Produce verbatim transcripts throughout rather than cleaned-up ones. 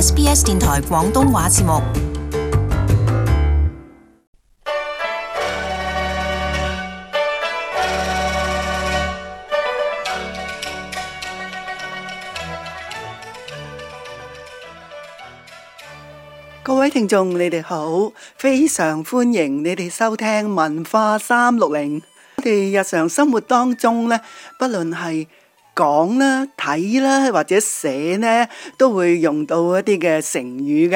S B S 電台廣東話節目。各位聽眾，你哋好，非常歡迎你哋收聽文化三六零。我哋日常生活當中呢，不論係講啦、睇啦或者寫呢，都會用到一啲嘅成語嘅。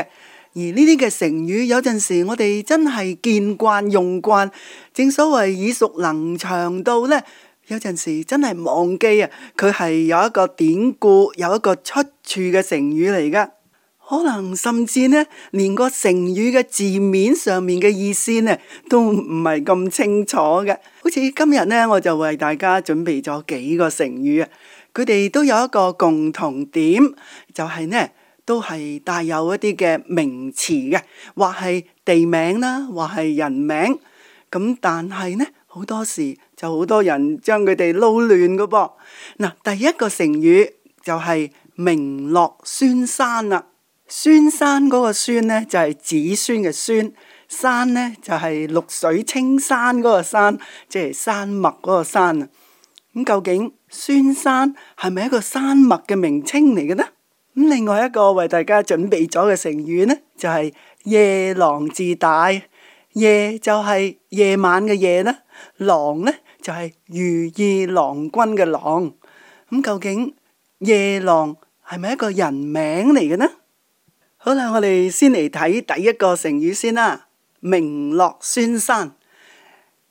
而呢啲嘅成語，有陣時我哋真係見慣用慣，正所謂耳熟能詳到呢，有陣時真係忘記啊，佢係有一個典故，有一個出處嘅成語嚟噶。可能甚至呢，連個成語嘅字面上面嘅意思呢，都唔係咁清楚嘅。好似今日呢，我就為大家準備咗幾個成語啊，佢哋都有一個共同點，就係呢，都係帶有一啲嘅名詞嘅，或係地名啦，或係人名。咁但係呢，好多時就好多人將佢哋撈亂噶噃。嗱，第一個成語就係名落孫山啦。孫山嗰個孫呢，就係子孫嘅孫，山呢，就係綠水青山嗰個山，即係山脈嗰個山啊。咁究竟孫山係咪一個山脈嘅名稱嚟嘅呢？咁另外一個為大家準備咗嘅成語呢，就係夜郎自大。夜就係夜晚嘅夜啦，郎呢，就係如意郎君嘅郎。咁究竟夜郎係咪一個人名嚟嘅呢？好啦，我哋先嚟睇第一個成語先啦。名落孫山。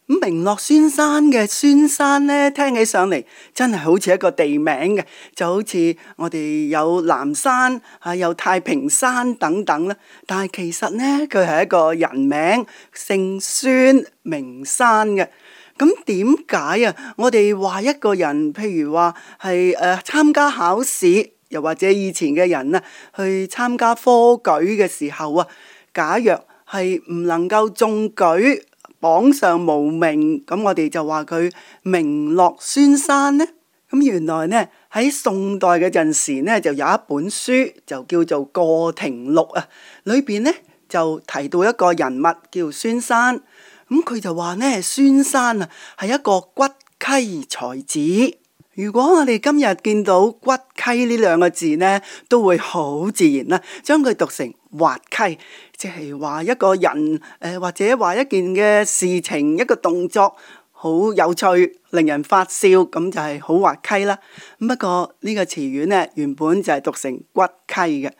咁名落孫山嘅孫山呢，聽起上嚟真係好似一個地名嘅，就好似我哋有南山啊，有太平山等等啦。但係其實呢，佢係一個人名，姓孫，名山嘅。咁點解啊？我哋話一個人，譬如話係誒參加考試。又或者以前嘅人啊，去參加科舉嘅時候啊，假若係唔能夠中舉，榜上無名，咁我哋就話佢名落孫山呢。咁原來呢，喺宋代嘅陣時呢，就有一本書就叫做《過庭錄》啊，裏邊呢就提到一個人物叫孫山。咁佢就話呢，孫山啊係一個骨溪才子。如果我哋今日見到骨溪呢兩個字呢，都會好自然啦，將佢讀成滑稽，即係話一個人誒、呃，或者話一件嘅事情，一個動作好有趣，令人發笑，咁就係好滑稽啦。不過呢個詞語呢，原本就係讀成骨溪嘅。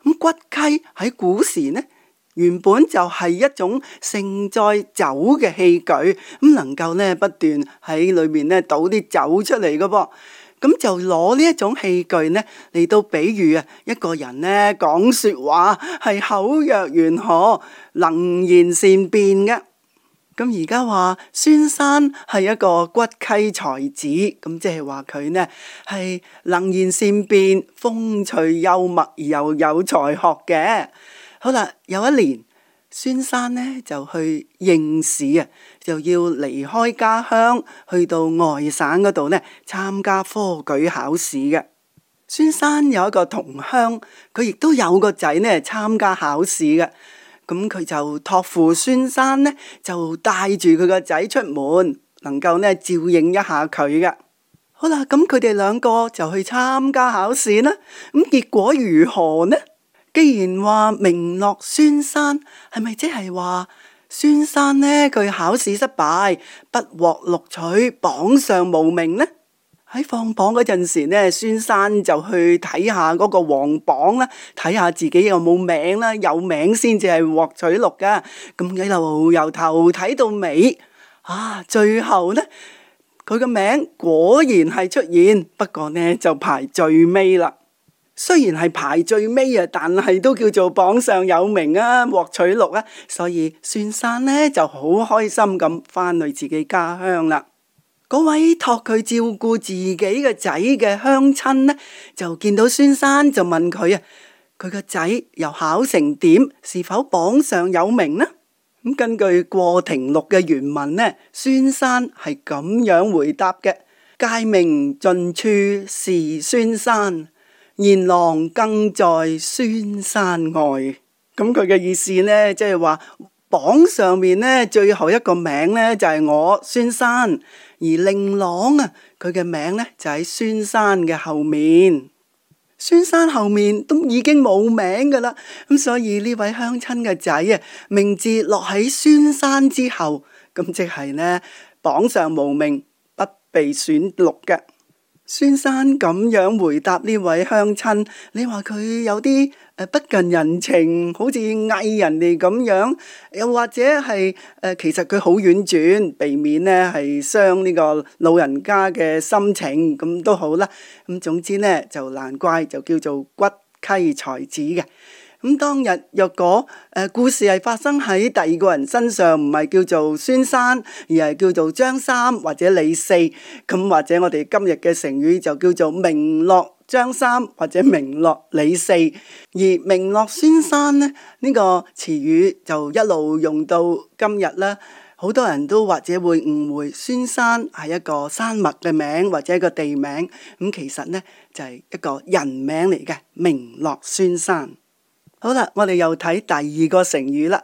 咁骨溪喺古時呢，原本就係一種盛載酒嘅器具，咁能夠咧不斷喺裏面咧倒啲酒出嚟嘅噃，咁就攞呢一種器具咧嚟到比喻啊一個人咧講說話係口若懸河，能言善辯嘅。咁而家話孫山係一個骨溪才子，咁即係話佢呢係能言善辯、風趣幽默而又有才學嘅。好啦，有一年孫山呢就去應試啊，就要離開家鄉去到外省嗰度呢參加科舉考試嘅。孫山有一個同鄉，佢亦都有個仔呢參加考試嘅，咁佢就託付孫山呢就帶住佢個仔出門，能夠呢照應一下佢嘅。好啦，咁佢哋兩個就去參加考試啦，咁結果如何呢？既然話名落孫山，係咪即係話孫山呢佢考試失敗，不獲錄取，榜上無名呢？喺放榜嗰陣時呢，孫山就去睇下嗰個皇榜啦，睇下自己有冇名啦，有名先至係獲取錄噶。咁一路由頭睇到尾，啊，最後呢佢個名果然係出現，不過呢就排最尾啦。雖然係排最尾啊，但係都叫做榜上有名啊，獲取錄啊，所以孫山呢就好開心咁翻去自己家鄉啦。嗰位託佢照顧自己嘅仔嘅鄉親呢，就見到孫山就問佢啊，佢個仔又考成點，是否榜上有名呢？咁根據過庭錄嘅原文呢，孫山係咁樣回答嘅：誡命盡處是孫山。賢郎更在孫山外。咁佢嘅意思呢，即係話榜上面呢最後一個名呢就係我孫山，而令郎啊佢嘅名呢就喺孫山嘅後面。孫山後面都已經冇名噶啦，咁所以呢位鄉親嘅仔啊，名字落喺孫山之後，咁即係呢榜上無名，不被選錄嘅。孫山咁樣回答呢位鄉親，你話佢有啲誒不近人情，好似嗌人哋咁樣，又或者係誒、呃、其實佢好婉轉，避免呢係傷呢個老人家嘅心情，咁都好啦。咁總之呢就難怪就叫做骨稽才子嘅。咁當日若果誒、呃、故事係發生喺第二個人身上，唔係叫做孫山，而係叫做張三或者李四，咁或者我哋今日嘅成語就叫做名落張三或者名落李四。而名落孫山呢，呢、呢個詞語就一路用到今日啦。好多人都或者會誤會孫山係一個山脈嘅名或者一個地名，咁其實呢就係、是、一個人名嚟嘅，名落孫山。好啦，我哋又睇第二個成語啦。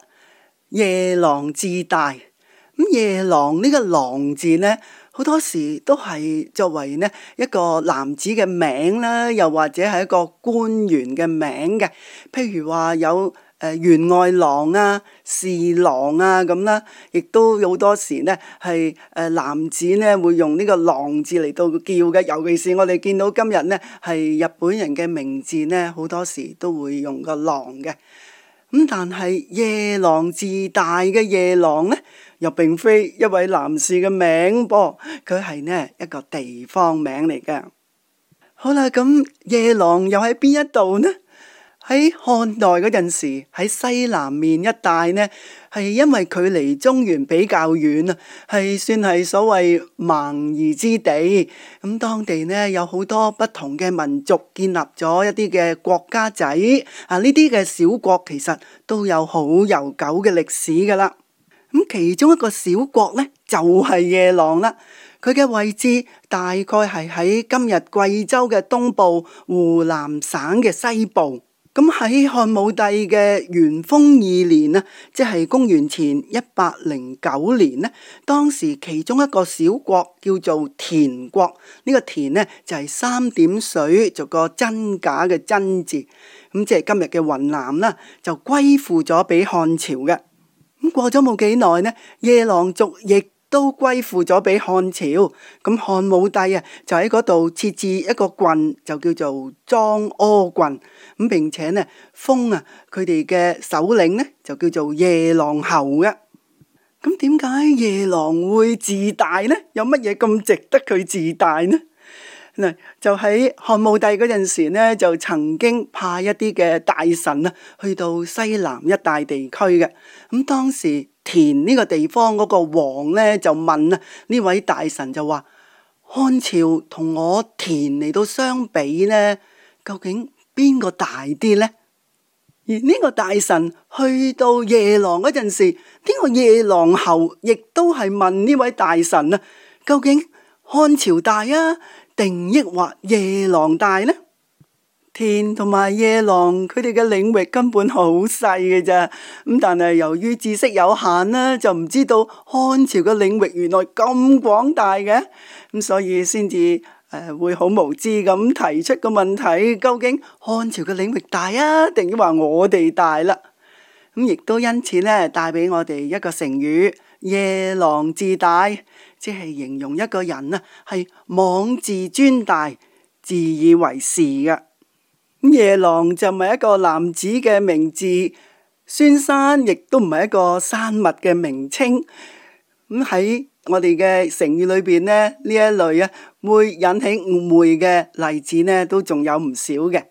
夜郎自大。咁夜郎呢個郎字呢，好多時都係作為呢一個男子嘅名啦，又或者係一個官員嘅名嘅。譬如話有誒員外郎啊、侍郎啊咁啦，亦都好多時呢係誒男子呢會用呢個郎字嚟到叫嘅。尤其是我哋見到今日呢係日本人嘅名字呢，好多時都會用個郎嘅。咁但係夜郎自大嘅夜郎呢，又並非一位男士嘅名噃，佢係呢一個地方名嚟嘅。好啦，咁夜郎又喺邊一度呢？喺漢代嗰陣時，喺西南面一帶呢，係因為距離中原比較遠啊，係算係所謂蠻夷之地。咁當地呢有好多不同嘅民族建立咗一啲嘅國家仔啊，呢啲嘅小國其實都有好悠久嘅歷史噶啦。咁其中一個小國呢，就係夜郎啦，佢嘅位置大概係喺今日貴州嘅東部、湖南省嘅西部。咁喺漢武帝嘅元豐二年啊，即係公元前一百零九年呢，當時其中一個小國叫做田國，呢、這個田呢就係、是、三點水做個真假嘅真字，咁即係今日嘅雲南啦，就歸附咗俾漢朝嘅。咁過咗冇幾耐呢，夜郎族亦都歸附咗俾漢朝。咁漢武帝啊，就喺嗰度設置一個郡，就叫做莊柯郡。咁並且呢，封啊佢哋嘅首領呢，就叫做夜郎侯嘅。咁點解夜郎會自大呢？有乜嘢咁值得佢自大呢？嗱，就喺漢武帝嗰陣時呢，就曾經派一啲嘅大臣啊，去到西南一帶地區嘅。咁當時田呢個地方嗰個王呢，就問啊，呢位大臣就話：漢朝同我田嚟到相比呢，究竟邊個大啲呢？而呢個大臣去到夜郎嗰陣時，呢個夜郎侯亦都係問呢位大臣啊，究竟漢朝大啊，定抑或夜郎大呢？田同埋夜郎佢哋嘅領域根本好細嘅咋，咁但係由於知識有限啦，就唔知道漢朝嘅領域原來咁廣大嘅，咁所以先至誒會好無知咁提出個問題，究竟漢朝嘅領域大啊，定抑或我哋大啦？咁亦都因此咧，帶俾我哋一個成語：夜郎自大，即係形容一個人啊，係妄自尊大、自以為是嘅。咁夜郎就唔係一個男子嘅名字，孫山亦都唔係一個山脈嘅名稱。咁喺我哋嘅成語裏邊呢，呢一類啊會引起誤會嘅例子呢，都仲有唔少嘅。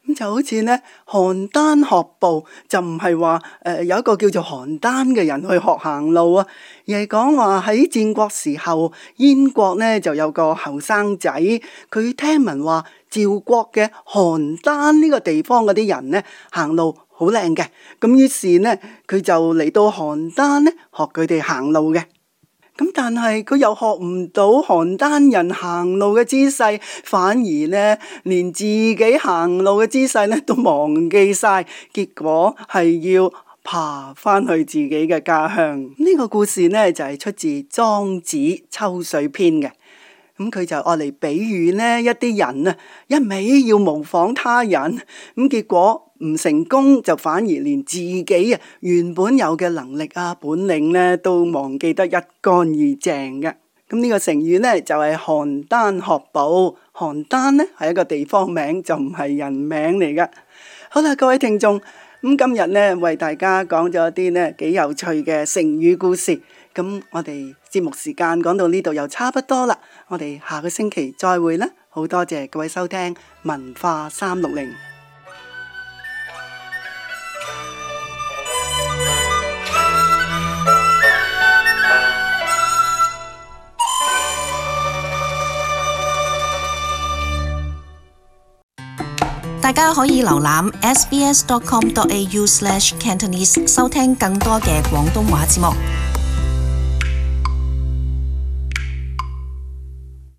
咁就好似呢，邯鄲學步就唔係話誒有一個叫做邯鄲嘅人去學行路啊，而係講話喺戰國時候，燕國呢就有個後生仔，佢聽聞話趙國嘅邯鄲呢個地方嗰啲人呢行路好靚嘅，咁於是呢佢就嚟到邯鄲呢學佢哋行路嘅。咁但係佢又學唔到邯鄲人行路嘅姿勢，反而呢連自己行路嘅姿勢呢都忘記晒，結果係要爬翻去自己嘅家鄉。呢個故事呢就係出自《莊子·秋水篇》嘅。咁佢就愛嚟比喻呢一啲人啊，一味要模仿他人，咁結果唔成功，就反而連自己啊原本有嘅能力啊本領呢都忘記得一乾二淨嘅。咁呢個成語呢就係邯鄲學步。邯鄲呢係一個地方名，就唔係人名嚟噶。好啦，各位聽眾，咁今日呢為大家講咗一啲呢幾有趣嘅成語故事。咁我哋節目時間講到呢度又差不多啦，我哋下個星期再會啦。好多謝各位收聽文化三六零。大家可以瀏覽 s b s dot com dot a u slash cantonese 收聽更多嘅廣東話節目。